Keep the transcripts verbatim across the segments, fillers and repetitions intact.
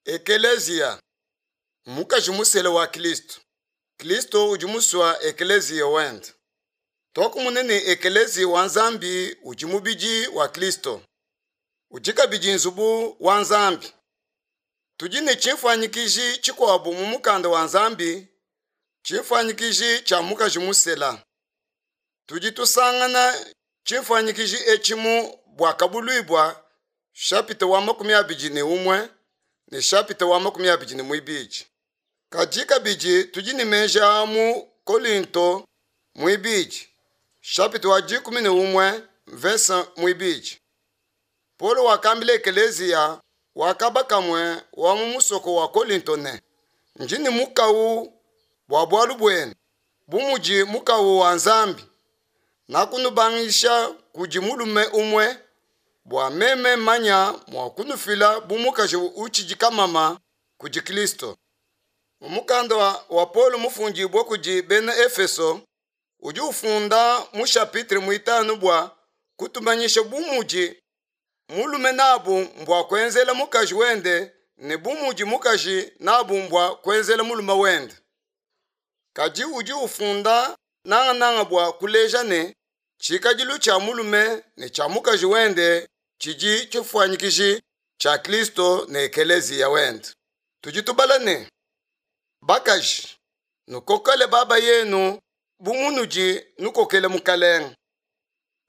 Ekeleziya mmukaji musela wa Kilisto. Kilisto udi musua ekeleziya wende. Tuakumona ne ekeleziya wa Nzambi udi mubidi wa Kilisto. Udi kabidi nzubu wa Nzambi. Tudi ne tshimfuanyikiji tshikuabu mu mukanda wa Nzambi, tshimfuanyikiji tshia mukaji musela. Tudi tusangana tshimfuanyikiji etshi mu Buakabuluibua chapitre wa makumi abidi ne umue ne chapitre wa makumi abidi ne muibidi. Kadi kabidi tudi ne meji a mu Kolinto muibidi chapitre wa dikumi ne umue verse muibidi. Paulo wakambila ekeleziya wa kaba kamue wa mu musoko wa Kolinto ne, ndi ne mukawu bua bualu buenu, bu mudi mukawu wa Nzambi, nakunubangisha kudi mulume umue bua meme manya mua kunufila bu mukaji utshidi kamama kudi Kristo. Mu mukanda wa, wa Paulo mufundibue kudi bena Efeso, udi ufunda mu chapitre muitanu bua kutumanyisha bu mudi mulume nabu mbua kuenzela mukaji wende ne bu mudi mukaji nabu mbua kuenzela mulume wende. Kadi udi ufunda nangananga bua kuleja ne tshikadilu tshia mulume ne tshia mukaji wende tshidi tshifuanyikiji tshia Kristo ne ekeleziya wende. Tudi tubala ne, bakaji, nukokele baba yenu bu munudi nukokele Mukalenge.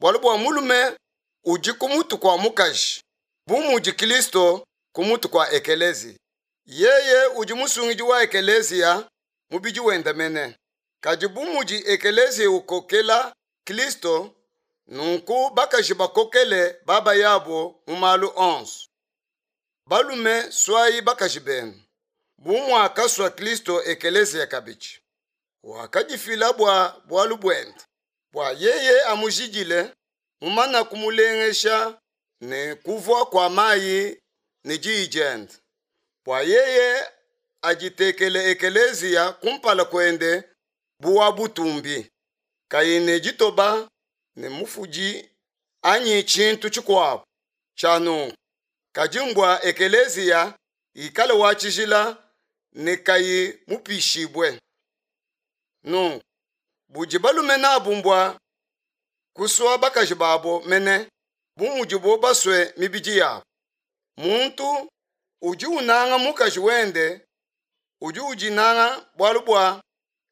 Bualu bua mulume udi ku mutu kua mukaji, bu mudi Kristo ku mutu kua ekeleziya. Yeye udi musungidi wa ekeleziya, mubidi wende mene. Kadi bu mudi ekeleziya ukokela Kristo, nunku bakaji bakokele baba yabo mu malu onso. Balume suayi bakaji benu, bu muakasua Kristo ekeleziya kabidi. Wakadifila bua bualu buende, bua yeye amujidile, mumana kumulengesha ne kuvua kua mayi ne diyi diende, bua yeye aditekele ekeleziya kumpala kuende bu wa butumbi, kayi ne ditoba ne mufudi anyi tshintu tshikuabu tshia nunku, kadi mbua ekeleziya ikale wa tshijila ne kayi mupishibue. Nunku budi balume nabu mbua kusua bakaji babo mene bu mudibo basue mibidi yabo. Muntu udi unanga mukaji wende udi udinanga, bualu bua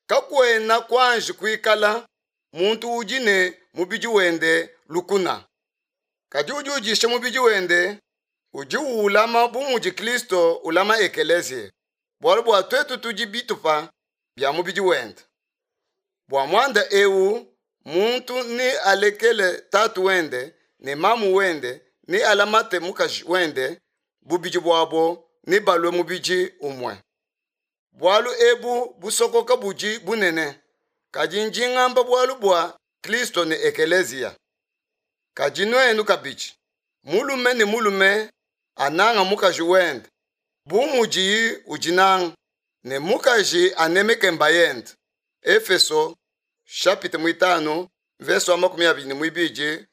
kakuena kuanji kuikala muntu udi ne mubidi wende lukuna. Kadi udi udisha mubidi wende udi uwulama bu mudi Kristo ulama ekeleziya, bualu bua tuetu tudi bitupa bia mubidi wende. Bua muanda eu muntu ne alekele tatu wende ne mamu wende ne alamate mukaji wende, bubidi buabo ne balue mubidi umue. Bualu ebu busokoka budi bunene, kadi ndi ngamba bualu bua Kristo ne ekeleziya. Kadi nuenu kabidi, mulume ne mulume ananga mukaji wende bu mudiye udinanga, ne mukaji anemeke mbayende. Efeso chapitre muitanu verse wa makumi abidi ne muibidi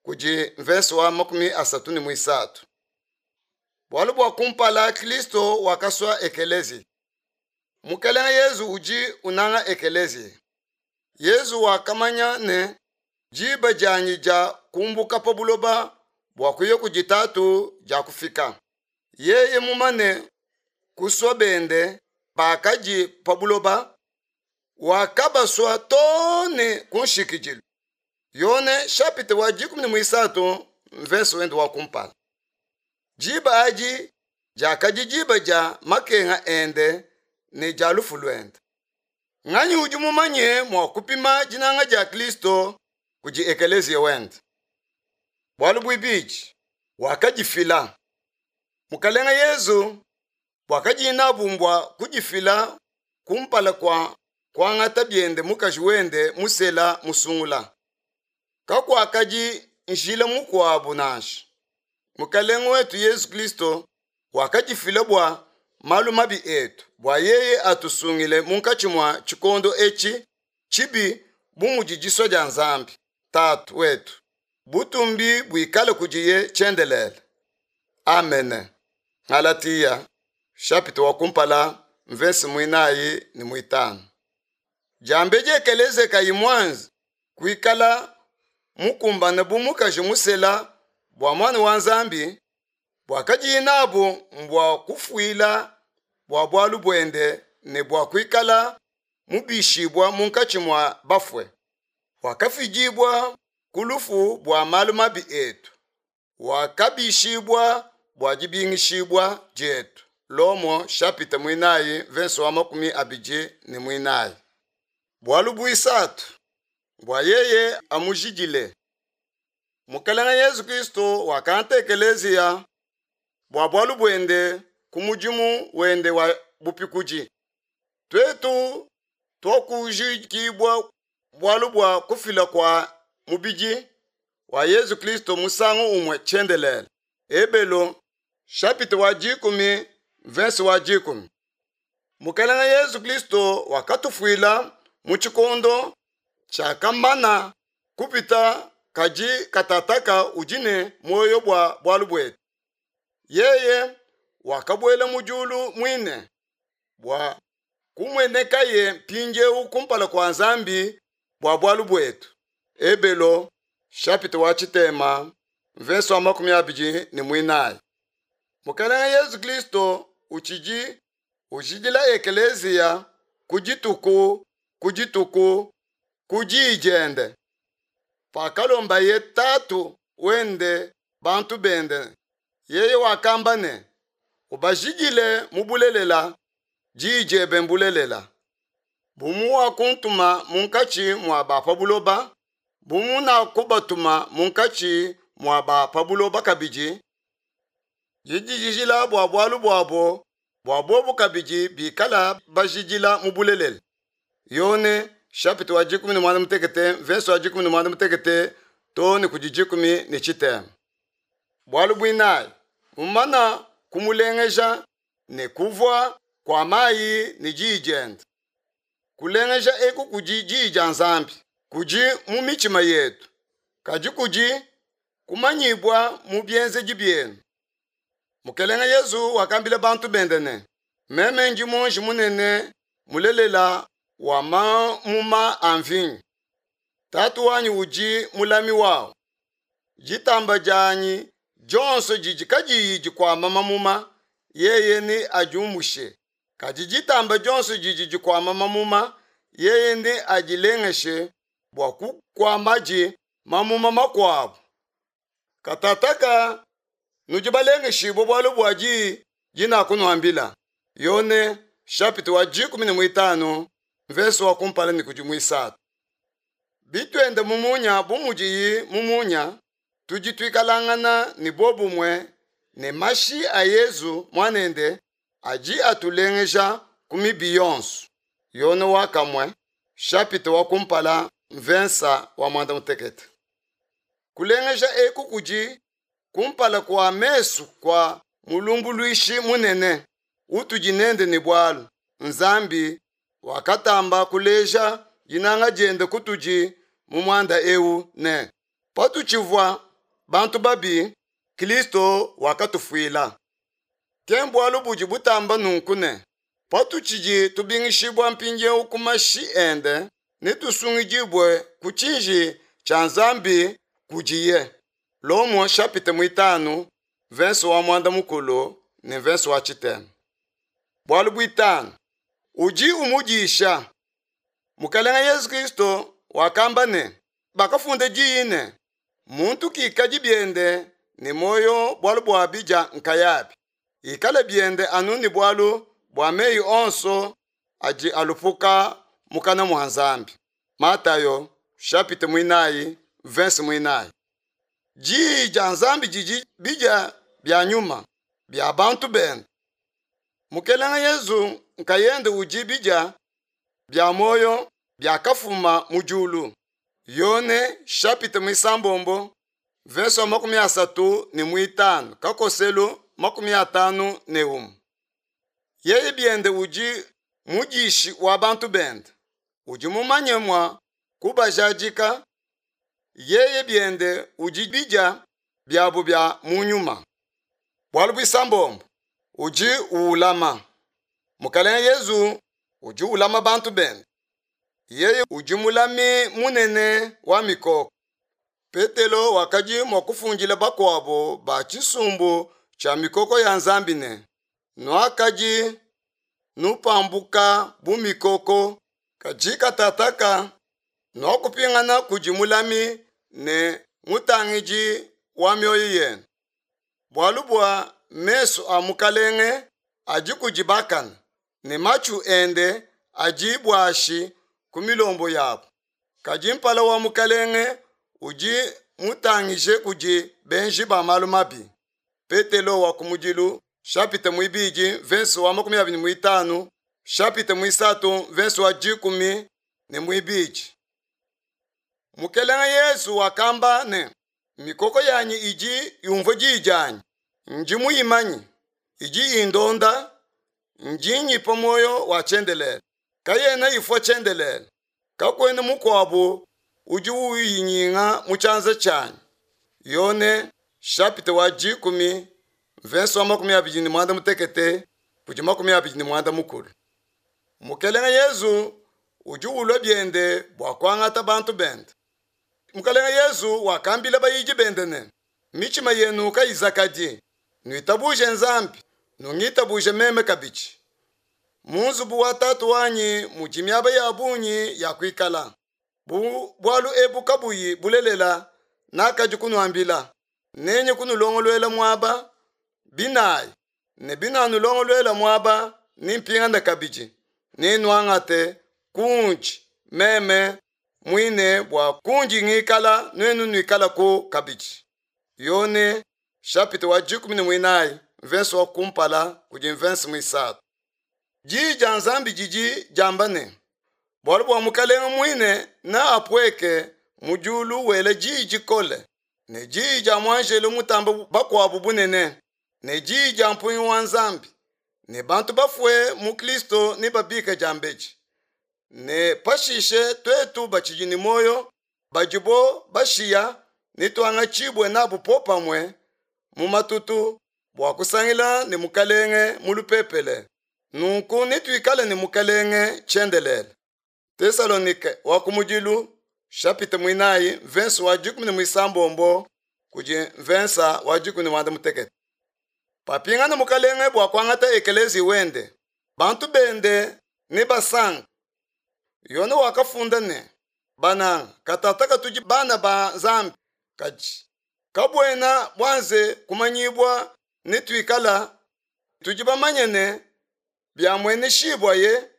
kudi verse wa makumi asatu ne muisatu. Bualu bua kumpala Kristo wakasua ekeleziya. Mukelenge Yezu udi unanga ekeleziya. Yezu wakamanya ne diba dianyi dia kumbuka pa buloba bua kuya kudi Tatu dia kufika. Yeye mumane kusua bende bakadi pa buloba, wakabasua too ne ku nshikidilu. Yone chapitre wa dikumi ne muisatu mverse wende wa kumpala. Diba adi diakadi diba dia makenga ende ne dia lufu luende. Nganyi udi mumanye mua kupima dinanga dia Kristo kudi ekeleziya wende? Bualu buibidi, wakadifila. Mukalenge Yezu wakadi nabu mbua kudifila kumpala kua kuangata biende mukaji wende musela musungula. Kakuakadi njila mukuabu nansha. Mukalenge wetu Yezu Kristo wakadifila bua malu mabi etu, bua yeye atusungile munkatshi mua tshikondo etshi tshibi bu mudi disua dia Nzambi Tatu wetu. Butumbi buikale kudiye tshiendelele. Amene. Galatia chapitre wa kumpala mvese muinayi ne muitanu. Diambedi ekeleziya kayi muanze kuikala mukumbane bu mukaji musela bua muana wa Nzambi, buakadiye nabu mbua kufuila bua bualu buende ne bua kuikala mubishibua munkatshi mua bafue. Wakafidibua ku lufu bua malu mabi etu, wakabishibua bua dibingishibua dietu. Lomo chapitre muinayi verse wa makumi abidi ne muinayi. Bualu buisatu bua yeye amujidile. Mukelenge Yesu Kristo wakangata ekeleziya bua bualu buende ku mudimu wende wa bupikudi. Tuetu tuakujidibua bualu bua kufila kua mubidi wa Yesu Kristo musangu umue tshiendelele. Ebelo chapitre wa dikumi verse wa dikumi. Mukelenge Yesu Kristo wakatufuila mu tshikondo tshiakamana kupita kadi katataka udi ne muoyo bua bualu buetu. Yeye wakabuela mu diulu muine bua kumuenekaye mpindieu kumpala kua Nzambi bua bualu buetu. Ebelo chapitre wa tshitema verse wa makumi abidi ne muinayi. Mukelenge Yesu Kristo utshidi ujidila ekeleziya ku dituku ku dituku ku diyi diende. Pakalombaye Tatu wende bantu bende, yeye wakamba ne, ubajidile mu bulelela, diyi diebe mbulelela. Bu muwakuntuma munkatshi mua ba pa buloba, bu munakubatuma munkatshi mua ba pa buloba kabidi, didijidila bua bualu buabo, bua bobu kabidi bikala bajidila mu bulelela. Yone chapitre wa dikumi ne muanda mutekete verse wa dikumi ne muanda mutekete to ne kudi dikumi ne tshitema. Bualu buinayi, mumana kumulengeja ne kuvua kua mayi ne diyi diende. Kulengeja eku kudi diyi dia Nzambi, kudi mu mitshima yetu, kadi kudi kumanyibua mu bienzedi bienu. Mukelenge Yesu wakambila bantu bende ne, meme ndi muonji munene mulelela wa mamuma a mvinyo. Tatu wanyi udi mulami wawu. Ditamba dianyi dionso didi kadiyi dikuama mamuma, yeye ne adiumushe. Kadi ditamba dionso didi dikuama mamuma, yeye ne adilengeshe bua kukuamadi mamuma makuabu. Katataka nudi balengeshibue bualu bua diyi dinakunuambila. Yone chapitre wa dikumi ne muitanu verse wa kumpala ne kudi muisatu. Bituende mu munya bu mudiyi mu munya, tudi tuikalangana ne bobumue ne mashi a Yezu muanende adi atulengeja ku mibi yonso. Yone wa kamue chapitre wa kumpala mvensa wa muanda mutekete. Kulengeja eku kudi kumpala kua mesu kua mulumbuluishi munene utudi nende ne bualu. Nzambi wakatamba kuleja dinanga diende kutudi mu muanda eu ne patutshivua bantu babi, Kristo wakatufuila. Ke bualu budi butamba nunku ne patutshidi tubingishibua mpindieu ku mashi ende, netusungidibue ku tshiji tshia Nzambi kudiye. Lomo chapitre muitanu verse wa muanda mukulu ne verse wa tshitema. Bualu buitanu, udi umudisha. Mukelenge Yesu Kristo wakamba ne, bakafunda diyi ne, muntu kikadi biende ne muoyo bualu bua bidia nkayabi, ikale biende anu ne bualu bua meyi onso adi alupuka mukana mua Nzambi. Matayo chapitre muinayi verse muinayi. Diyi dia Nzambi didi bidia bia nyuma bia bantu bende. Mukelenge Yesu nkayende udi bidia bia muoyo biakafuma mu diulu. Yone chapitre muisambombo verse wa makumi asatu ne muitanu kakoselu makumi atanu ne umue. Yeye biende udi mudishi wa bantu bende, udi mumanye mua kubajadika. Yeye biende udi bidia biabu bia mu nyuma. Bualu buisambombo, udi uulama. Mukalenge Yezu udi ulama bantu bende. Yeye udi mulami munene wa mikoko. Petelo wakadi mua kufundila bakuabo ba tshisumbu tshia mikoko ya Nzambi ne, Nuakadi nupambuka bu mikoko, kadi katataka nuakupingana kudi Mulami ne Mutangidi wa mioyo yenu. Bualu bua mesu a Mukalenge adi kudi bakane, ne matshu ende adi buashi ku milombo yabo. Kadi mpala wa Mukalenge udi mutangije kudi benji ba malu mabi. Petelo wa kumudilu chapitre muibidi verse wa makumi abidi ne muitanu chapitre muisatu verse wa dikumi ne muibidi. Mukelenge Yesu wakamba ne, mikoko yanyi idi yumvua diyi dianyi, ndi muyimanyi, idi indonda, ndi nyipa muoyo wa tshiendelele, kayena ifua tshiendelele, kakuena mukuabu udi uyinyenga mu tshianza tshianyi. Yone chapitre wa dikumi verse wa makumi abidi ne muanda mutekete kudi makumi abidi ne muanda mukulu. Mukelenge Yezu udi ulua biende bua kuangata bantu bende. Mukelenge Yezu wakambila bayidi bende ne, mitshima yenu kayizakadi, nuitabuje Nzambi, nungitabuje meme kabidi. Mu nzubu wa tatu wanyi mudi miaba ya bungi ya kuikala. Bu bualu ebu kabuyi bulelela, nakadi kunuambila, nenye kunulongoluela muaba binayi, ne binanulongoluela muaba nimpingane kabidi, nenuangate kundi meme muine bua kundi ngikala nuenu nuikalaku kabidi. Yone chapitre wa dikumi ne muinayi verse wa kumpala kudi verse muisatu. Diyi dia Nzambi didi diamba ne, bualu bua Mukalenge muine na apueke mu diulu wela diyi dikole, ne diyi dia muanjelo mutamba bakuabu bunene, ne diyi dia mpungi wa Nzambi, ne bantu bafue mu Kristo ne babika diambedi. Ne pashishe tuetu batshidi ne muoyo badibo bashiya ne tuangatshibue nabu popamue mu matutu bua kusangila ne Mukalenge mu lupepele. Nunku netuikale ne Mukalenge tshiendelele. Tesalonike wa kumudilu chapitre muinayi verse wa dikumi ne muisambombo kudi verse wa dikumi ne muanda mutekete. Papingana Mukalenge bua kuangata ekelezi wende, bantu bende ne basanka. Yone wakafunda ne, bananga katataka tudi bana ba Nzambi, kadi kabuena bwanze kumanyibwa ne tuikala tudi bamanye ne biamueneshibwaye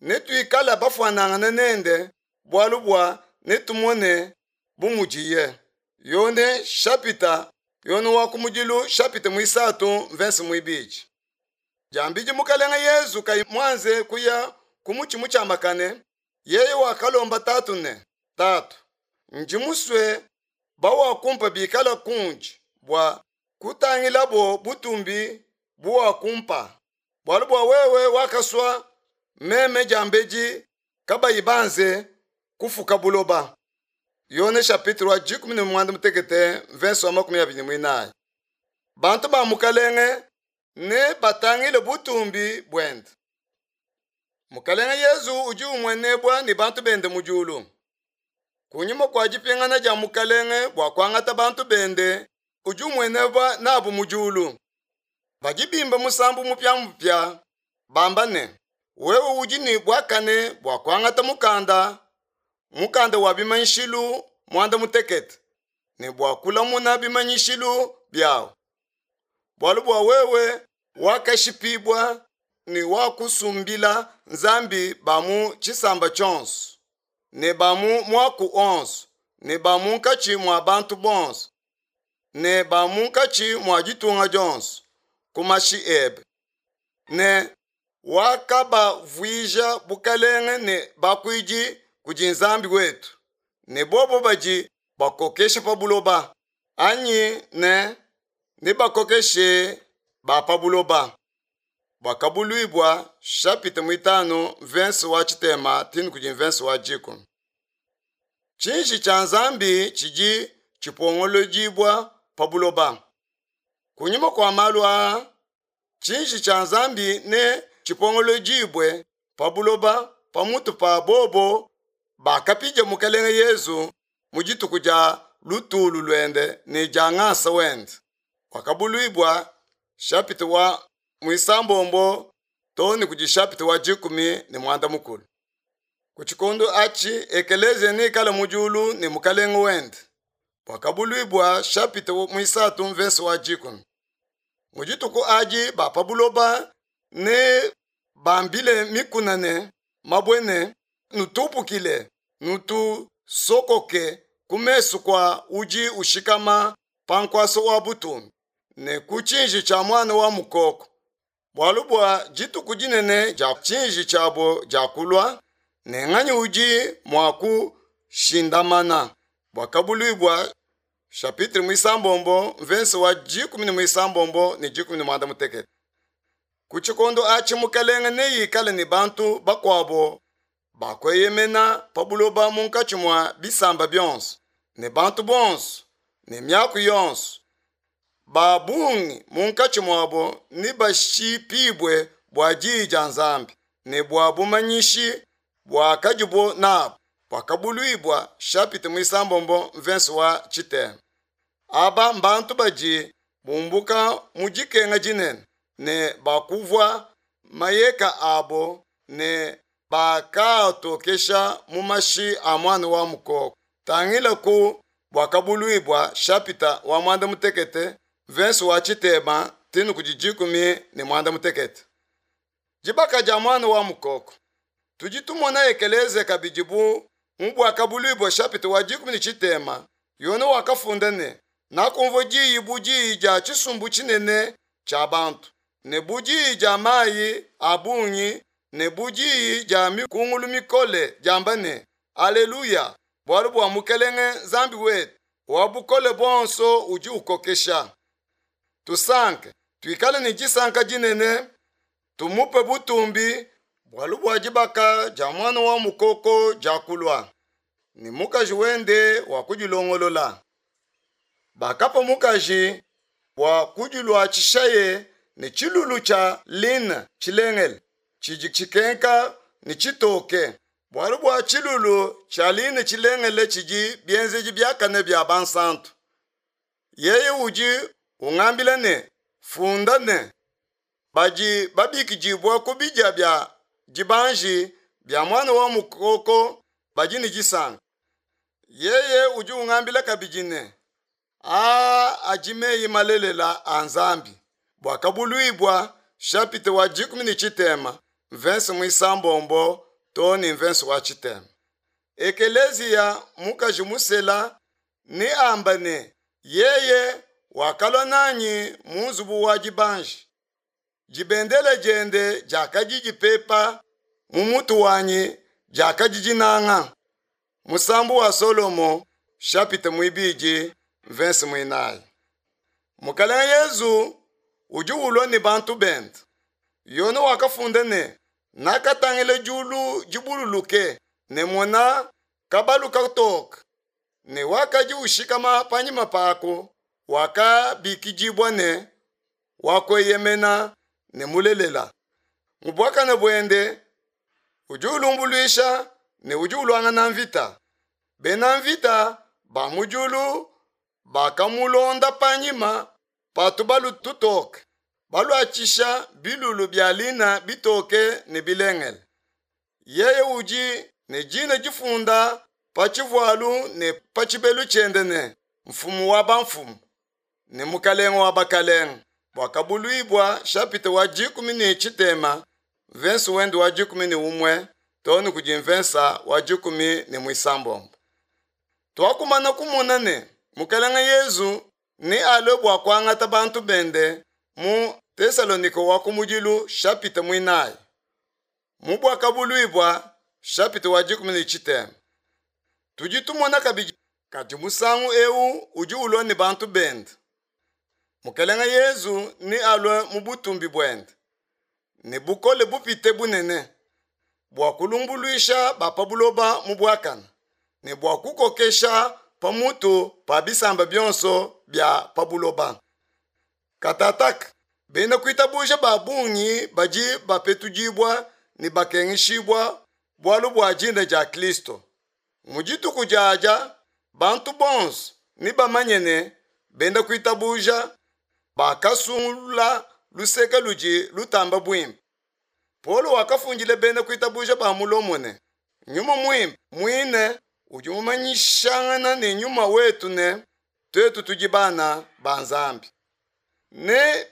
ne tuikala bafuanangana nende bualu bua ne tumone bu mudiye. Yone chapitre Yone wa kumudilu chapitre muisatu verse muibidi. Diambidi Mukalenge Yezu kayi mwanze kuya ku mutshi mutshiamakane, yeye wakalomba tatu ne, Tatu, ndi musue bawakumpa bikala kundi bua kutangilabo butumbi buwakumpa, bualu bua wewe wakasua meme diambedi kabayi banze kufuka buloba. Yone chapitre wa dikumi ne muanda mutekete verse wa makumi abidi ne muinayi. Bantu ba Mukalenge ne batangile butumbi buende. Mukalenge Yezu udi umuenebua ne bantu bende mu diulu. Kunyima kua dipingana dia Mukalenge bua kuangata bantu bende, udi umuenebua nabu mu diulu. Badi bimba musambu mupiamupia bamba ne, wewe udi ne buakane bua kuangata mukanda, mukanda wa bimanyishilu muanda mutekete, ne bua kulamuna bimanyishilu biawu. Bualu bua wewe wakashipibua ne wakusumbila Nzambi ba mu tshisamba tshionso, ne ba mu muaku onso, ne ba munkatshi mua bantu bonso, ne ba munkatshi mua ditunga dionso, ku mashi ebe. Ne wakabavuija bukalenge ne bakuidi kudi Nzambi wetu, ne bobo badi bakokesha pa buloba, anyi ne ne bakokeshe ba pa buloba. Bwakabuluibwa chapitre muitanu verse wa tshitema tinu kudi verse wa dikumi. Tshinji tshia Nzambi tshidi tshipongolodibwa pa buloba. Kunyima kua malu aa, Tshinji tshia Nzambi ne tshipongolodibue pa buloba pamutu pa bobo bakapidia Mukelenge Yesu mu dituku dia lutulu luende ne dia ngasa wende. Wakabuluibua chapitre wa muisambombo to ne kudi chapitre wa dikumi ne muanda mukulu. Ku tshikondo atshi ekelezia neikale mu diulu ne mukalenge wende. Wakabuluibua chapitre muisatu mvese wa dikumi. Mu dituku adi ba pa buloba ne bambile mikuna ne mabue ne nutupukile nutusokoke ku mesu kua udi ushikama pa nkuasa wa butumbi ne ku tshinji tshia muana wa mukoko. Bualu bua dituku dinene dia tshinji tshiabo dia kulua ne nganyi udi mua kushindamana. Buakabuluibua chapitre muisambombo mvese wa dikumi ne muisambombo ne dikumi ne muanda mutekete. Ku tshikondo atshi mukelenge neikale ne bantu bakuabo bakueyemena pa buloba munkatshi mua bisamba bionso ne bantu bonso ne miaku yonso. Ba bungi munkatshi muabo ne bashipibue bua diyi dia Nzambi ne bua bumanyishi buakadibo nabo. Buakabuluibua chapitre muisambombo mvese wa tshitema. Aba mbantu badi bumbuka mu dikenga dinene ne bakuvua mayeka abo ne bakatokesha mu mashi a muana wa mukoko. Tangila ku buakabuluibua chapitre wa muanda mutekete mvese wa tshitema tinu kudi dikumi ne muanda mutekete. Dibaka dia muana wa mukoko. Tudi tumona ekelezia kabidi bu mu buakabuluibua chapitre wa dikumi ne tshitema. Yone wakafunda ne nakumvua diyi bu diyi dia tshisumbu tshinene tshia bantu ne bu diyi dia mayi a bungi ne bu diyi dia mikungulu mikole diamba ne aleluya, bualu bua mukelenge Nzambi wetu wa bukole buonso udi ukokesha. Tusanke, tuikale ne disanka dinene, tumupe butumbi, bualu bua dibaka dia muana wa mukoko dia kulua ne mukaji wende wa kudilongolola. Bakapa mukaji bua kudiluatshishaye ne tshilulu tshia line tshilengele tshidi tshikenka ne tshitoke, bualu bua tshilulu tshia line tshilengele tshidi bienzedi biakane bia bansantu. Yeye udi ungambila ne funda ne badi babikidibua ku bidia bia dibanji bia muana wa mukoko badi ne disanka. Yeye udi ungambila kabidi ne aa adi meyi malelela a Nzambi. Buakabuluibua chapitre wa dikumi ne tshitema mvese muisambombo to ne mvese wa tshitema. Ekelezia mukaji musela ne amba ne yeye wakalua nanyi mu nzubu wa dibanji. Dibendele diende diakadi dipepa mu mutu wanyi diakadi dinanga. Musambu wa Solomo chapitre muibidi mvese muinayi. Mukalenge Yezu udi ulua ne bantu bende. Yone wakafunda ne nakatangila diulu dibululuke ne mona kabalu katoka ne wakadi ushikama panyima pako wakabikidibua ne wakueyemena ne mulelela. Mu buakane buende udi ulumbuluisha ne udi uluangana mvita. Bena mvita ba mu diulu bakamulonda panyima pa tubalu tutoke baluatshisha bilulu bia lina bitoke ne bilengele. Yeye udi ne dina difunda pa tshivualu ne pa tshibelu tshiende ne mfumu wa bamfumu ne mukalenge wa bakalenge. Buakabuluibua chapitre wa dikumi ne tshitema mvese wende wa dikumi ne umue to ne kudi mvesa wa dikumi ne muisambombo. Twakumana kumona ne mukalenge Yezu ne alue bua kuangata bantu bende mu Tesalonike wa kumudilu chapitre muinayi. Mu buakabuluibua chapitre wa dikumi ne tshitema. Tudi tumona kabidi kadi musangu ewu udi ulua ne bantu bende. Mukalenge Yezu ne alue mu butumbi buende ne bukole bupite bunene bua kulumbuluisha ba pa buloba mu buakane ne bua kukokesha pamutu pa bisamba bionso bia pa buloba. Katataka Bena kuitabuja ba bungi badi bapetudibua ne bakengeshibua bualu bua dina dia Kristo. Mu dituku diadia bantu bonso nebamanye ne bena kuitabuja bakasungula luseke ludi lutamba buimpe. Paulo wakafundila bena kuitabuja ba mu Lomo ne, Nyuma Muimpe muine udi umanyishangana ne nyuma wetu ne tuetu tudi bana ba Nzambi. Ne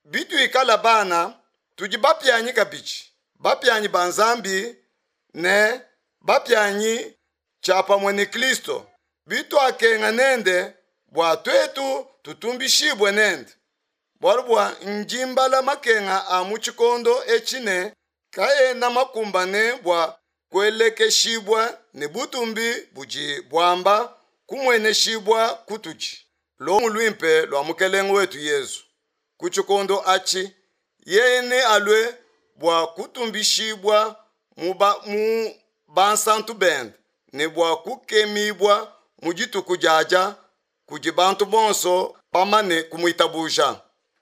bituikala bana, tudi bapianyi kabidi, bapianyi ba Nzambi ne bapianyi tshiapamue ne Kristo, bituakenga nende bua tuetu tutumbishibue nende. Bualu bua ndi mbala makenga a mu tshikondo etshi ne kaena makumbane bua kuelekeshibua ne butumbi budi buamba kumueneshibua kutudi. Lumu luimpe lua Mukelenge wetu Yezu. Ku tshikondo atshi yeye nealue bua kutumbishibua mu ba, mu bansantu bende ne bua kukemibua mu dituku diadia kudi bantu bonso bamane kumuitabuja.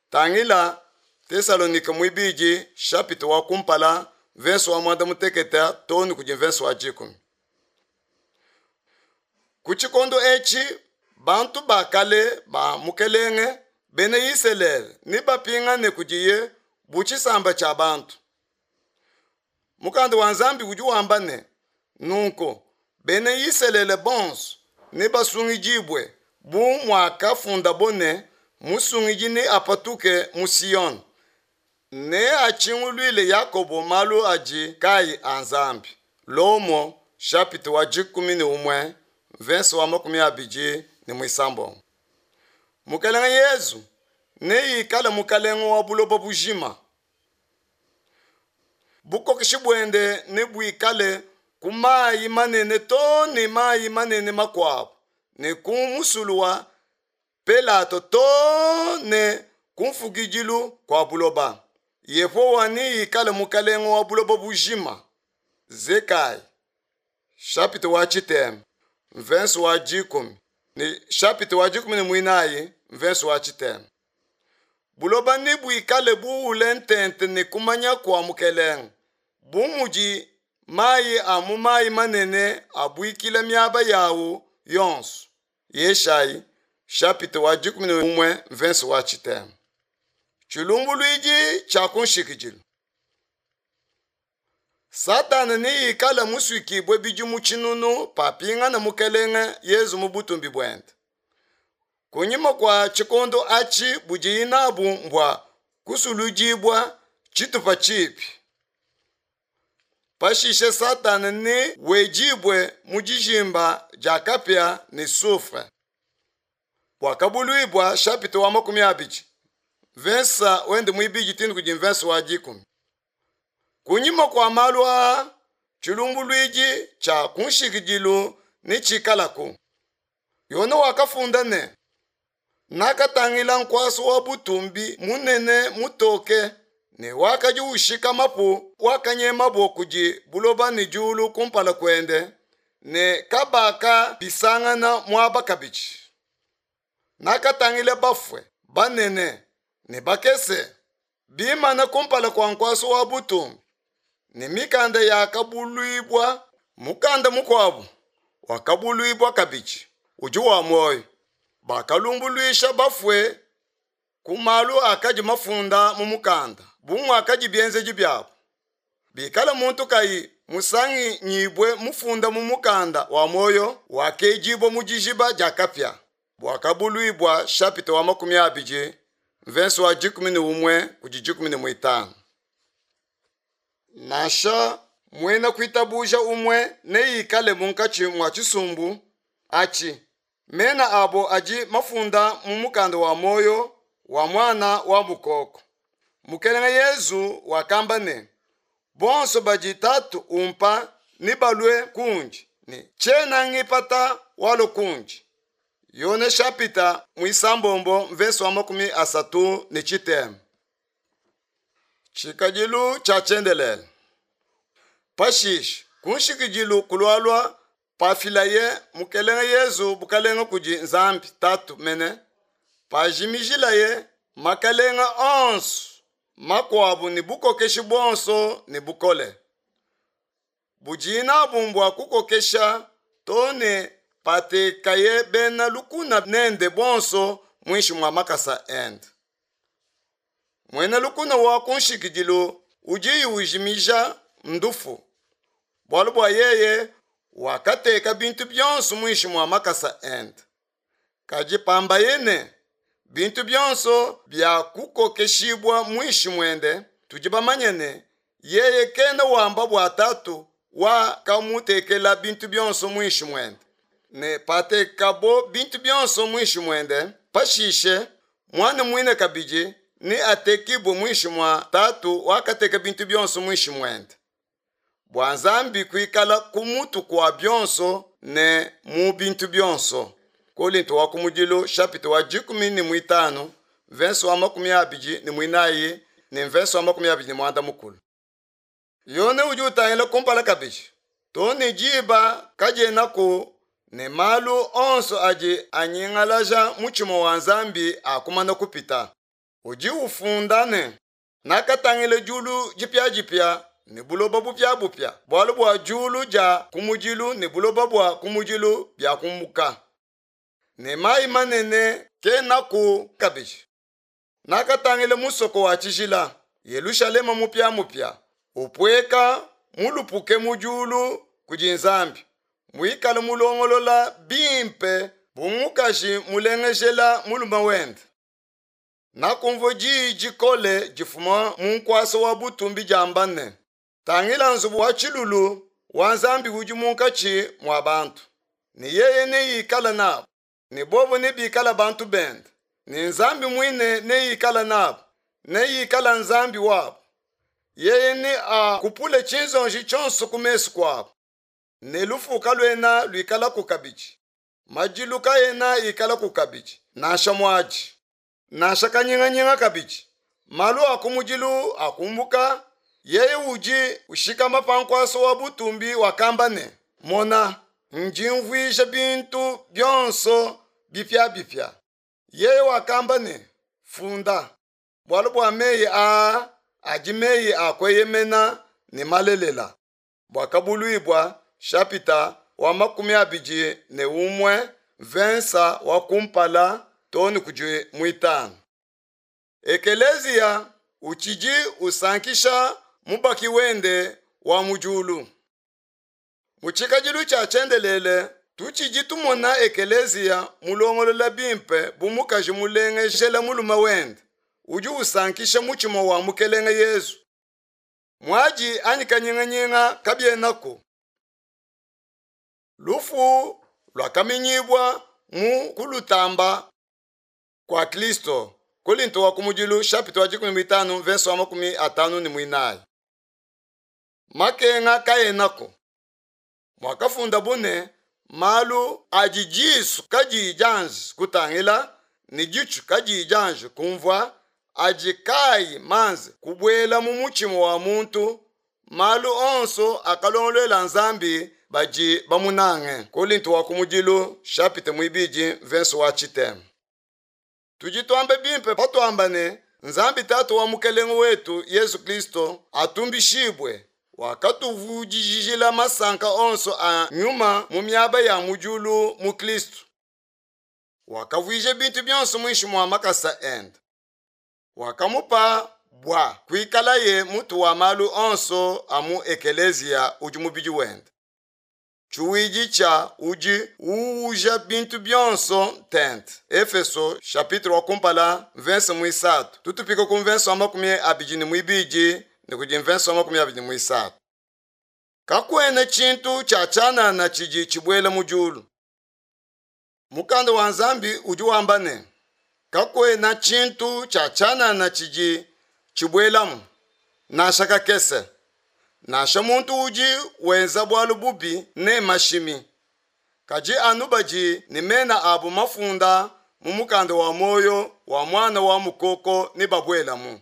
Tangila Tesalonike muibidi chapitre wa kumpala verse wa mwanda mutekete too ne kudi verse wa dikumi. Ku tshikondo etshi bantu ba kale ba Mukelenge bena Isalele nebapingane kudiye bu tshisamba tshia bantu. Mukanda wa Nzambi udi wamba ne, nunku bena Isalele bonso nebasungidibue bu muakafundabo ne, musungidi neapatuke mu Siyone, neatshinguluile Yakobo malu adi kayi a Nzambi. Lomo chapitre wa dikumi ne umue verse wa makumi abidi ne muisambombo. Mukelenge Yezu neikale mukelenge wa buloba bujima. Bukokeshi buende nebuikale ku mayi manene too ne mayi manene makuabu, ne ku musulu wa Pelato too ne ku mfukidilu kua buloba. Yehowa neikale mukelenge wa buloba bujima. Zekai chapitre wa tshitema verse wa dikumi ne chapitre wa dikumi ne muinayi verse wa tshitema. Buloba nebuikale buule ntente ne kumanya kua mukelenge, bu mudi mayi a mu mayi manene abuikila miaba yawu yonso. Yeshayi chapitre wa dikumi ne umue verse wa tshitema. Tshilumbuluidi tshia ku nshikidilu. Satana neikale musuikibue bidimu tshinunu papingana mukelenge Yezu mu butumbi buende. Kunyima kua tshikondo atshi budiyi nabu mbua kusuludibua tshitupa tshipi. Pashishe Satana ne wedibue mu dijimba dia kapia ne soufre. Buakabuluibua chapitre wa makumi abidi verse wende muibidi tindi kudi verse wa dikumi. Kunyima kua malu aa tshilumbuluidi tshia ku nshikidilu netshikalaku. Yone wakafunda ne, nakatangila nkuasa wa butumbi munene mutoke ne wakadi ushika mapu wakanyemabo kudi buloba ne diulu kumpala kuende ne kabaka bisangana muaba kabidi. Nakatangila bafue banene ne bakese bimana kumpala kua nkuasa wa butumbi ne mikanda yakabuluibua. Mukanda mukuabu wakabuluibua kabidi udi wa muoyo. Bakalumbuluisha bafue ku malu akadi mafunda mu mukanda bu muakadi bienzedi biabo. Bikala muntu kayi musanganyibue mufunda mu mukanda wa muoyo wakedibua mu dijiba dia kapia. Buakabuluibua chapitre wa makumi abidi verse wa dikumi ne umue kudi dikumi ne muitanu. Nansha muena kuitabuja umue neikale munkatshi mua tshisumbu atshi, mena abo adi mafunda mu mukanda wa muoyo wa mwana wa mukoko. Mukelenge Yezu wakamba ne, bonso badi Tatu umpa nebalue kundi, ne tshiena ngipata walo kundi. Yone chapitre muisambombo verse wa makumi asatu ne tshitema. Tshikadilu tshia tshiendelele. Pashishe ku nshikidilu kulualua pafilaye mukelenge Yezu bukalenge kudi Nzambi Tatu mene, pajimijilaye Makalenga onso makuabu ne bukokeshi buonso ne bukole budiye nabu mbua kukokesha too ne patekaye bena lukuna nende bonso muinshi mua makasa ende. Muena lukuna wa ku nshikidilu udi ujimija ndufu, bualu bua yeye wakateka bintu bionso muinshi mua makasa ende. Kadi pambaye ne, bintu bionso biakukokeshibua muinshi muende, tudi bamanye ne, yeye kena wamba bua Tatu wakamutekela bintu bionso muinshi muende. Ne patekabo bintu bionso muinshi muende, pashishe muana muine kabidi neatekibue muinshi mua Tatu wakateka bintu bionso muinshi muende, bua Nzambi kuikala ku mutu kua bionso ne mu bintu bionso. Kolinto wa kumudilu chapitre wa dikumi ne muitanu verse wa makumi abidi ne muinayi ne verse wa makumi abidi ne muanda mukulu. Yone udi utangila kumpala kabidi too ne diba kadienaku ne malu onso adi anyingalaja mutshima wa Nzambi akumana kupita. Udi ufunda ne, nakatangila diulu dipiadipia ne buloba bupiabupia, bualu bua diulu dia kumudilu ne buloba bua kumudilu biakumbuka, ne mayi manene kenaku kabidi. Nakatangila musoko wa tshijila Yelushalema mupiamupia upueka mulupuke mu diulu kudi Nzambi, muikale mulongolola bimpe bu mukaji mulengejela mulume wende. Nakumvua diyi dikole difuma mu nkuasa wa butumbi diamba ne, tangila nzubu wa tshilulu wa Nzambi udi munkatshi mua bantu, ne yeye neikale nabu, ne bobo nebikale bantu bende, ne Nzambi muine neikale nabu, neikale Nzambi wabu. Yeye neakupule tshinzonji tshionso ku mesu kuabu, ne lufu kaluena luikalaku kabidi, madilu kaena ikalaku kabidi, nansha muadi, nansha kanyinganyinga kabidi. Malu a kumudilu akumbuka. Yeye udi ushikama pa nkuasa wa butumbi wakamba ne, mona, ndi mvuija bintu bionso bipiabipia. Yeye wakamba ne, funda, bualu bua meyi aa adi meyi a kueyemena ne malelela. Buakabuluibua chapitre wa makumi abidi ne umue verse wa kumpala too ne kudi muitanu. Ekeleziya utshidi usankisha mubaki wende wa mu diulu. Mu tshikadilu tshia tshiendelele tutshidi tumona ekeleziya mulongolola bimpe bu mukaji mulengejela mulume wende udi usankisha mutshima wa Mukelenge Yezu. Muadi anyi kanyinganyinga kabienaku. Lufu luakaminyibua mu kulutamba kua Kristo. Kolinto wa kumudilu chapitre wa dikumi mitanu verse wa makumi atanu ne muinayi. Makenga kaenako. Mwakafunda bune malu adi disu kadiyi dianji kutangila ne ditshu kadiyi dianji kumvua adi kayi manze kubuela mu mutshima wa muntu, malu onso akalongoluela Nzambi badi bamunange. Kolinto wa kumudilu chapitre muibidi verse wa tshitema. Tudi tuambe bimpe patuamba ne Nzambi Tatu wa Mukelenge wetu Yesu Kristo atumbishibwe, wakatuvudijila masanka onso a nyuma mu miaba ya mu diulu mu Kristo. Wakavuija bintu bionso muinshi mua makasa ende. Wakamupa bua kuikalaye mutu wa malu onso a mu ekeleziya udi mubidi wende. Tshiwidi tshia udi uuja bintu bionso tente. Efeso chapitre wa kumpala verse muisatu. Tutupika ku verse wa makumi abidi ne muibidi ne kudi verse wa makumi abidi ne muisatu. Kakuena tshintu tshia tshianana tshidi tshibuela mu diulu. Mukanda wa Nzambi udi wamba ne, kakuena tshintu tshia tshianana tshidi tshibuelamu, nansha kakese. Nansha muntu udi wenza bualu bubi ne mashimi, kadi anu badi ne mena abu mafunda mu mukanda wa muoyo wa mwana wa mukoko ne babuelamu.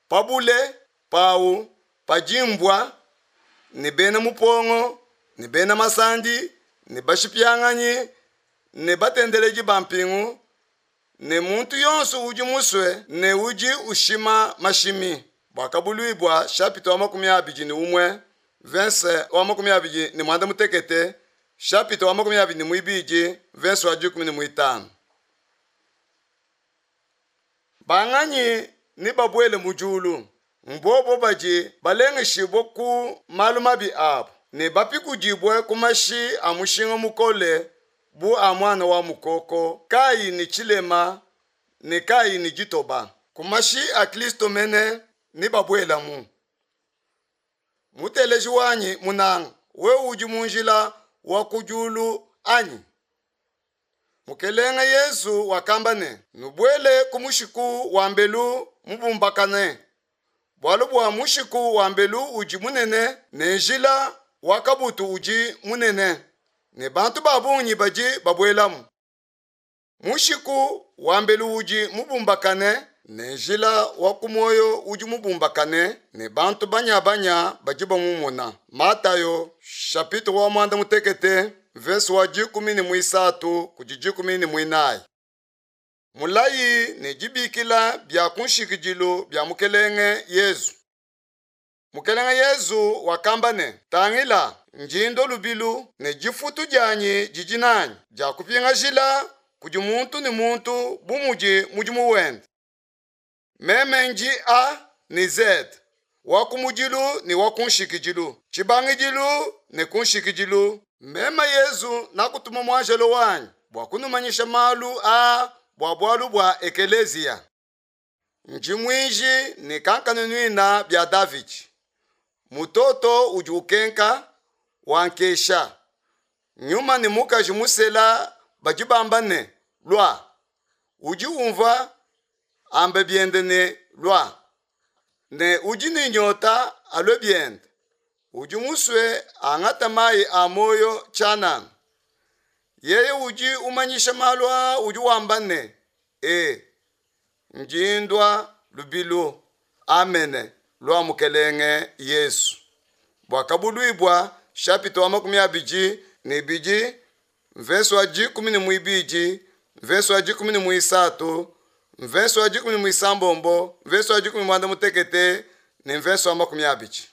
Pabule pau padimbwa ne bena mupongo ne bena masandi ne bashipianganyi ne batendeleji ba mpingu Ne muntu yonso udi musue ne udi ushima mashimi. Buakabuluibua chapitre wa makumi abidi ne umue verse wa makumi abidi ne muanda mutekete chapitre wa makumi abidi ne muibidi verse wa dikumi ne muitanu. Banganyi ne babuele mu diulu mbobo badi balengeshibue ku malu mabi abu ne bapikudibue ku mashi a mushinga mukole bu a muana wa mukoko kayi ne tshilema ne kayi ne ditoba. Ku mashi a Kristo mene ne babuelamu. Muteleji wanyi munanga, wewe udi mu njila wa ku diulu anyi? Mukelenge Yesu wakamba ne, nubuele ku mushiku wa mbelu mubumbakane, bualu bua mushiku wa mbelu udi munene ne njila wa kabutu udi munene, ne bantu ba bungi badi babuelamu. Mushiku wa mbelu udi mubumbakane ne njila wa ku muoyo udi mubumbakane ne bantu banyabanya badi bamumona. Matayo chapitre wa muanda mutekete verse wa dikumi ne muisatu kudi dikumi ne muinayi. Mulayi ne dibikila bia ku nshikidilu bia Mukelenge Yezu. Mukelenge Yezu wakamba ne, tangila ndi ndua lubilu ne difutu dianyi didi nanyi dia kupingajila kudi muntu ne muntu bu mudi mudimu wende. Meme ndi A ne Z, wa ku mudilu ne wa ku nshikidilu, tshibangidilu ne ku nshikidilu. Meme Yezu nakutuma muanjelo wanyi bua kunumanyisha malu aa bua bualu bua ekeleziya. Ndi muinji ne kankanunuina bia Davidi. Mutoto udi ukenka wankesha. Nyuma ne mukaji musela badi bamba ne lua. Udi umvua ambe biende ne lua. Ne udi ne nyota alue biende. Udi musue angata mayi a muoyo tshianana. Yeye udi umanyisha malu aa udi wamba ne, e, ndi ndua lubilu. Amene. Lua Mukelenge Yesu. Buakabuluibua chapitre wa makumi abidi ne ibidi mverse wa dikumi ne muibidi mverse wa dikumi ne muisatu mverse wa dikumi ne muisambombo mverse wa dikumi ne muanda mutekete ne mverse wa makumi abidi.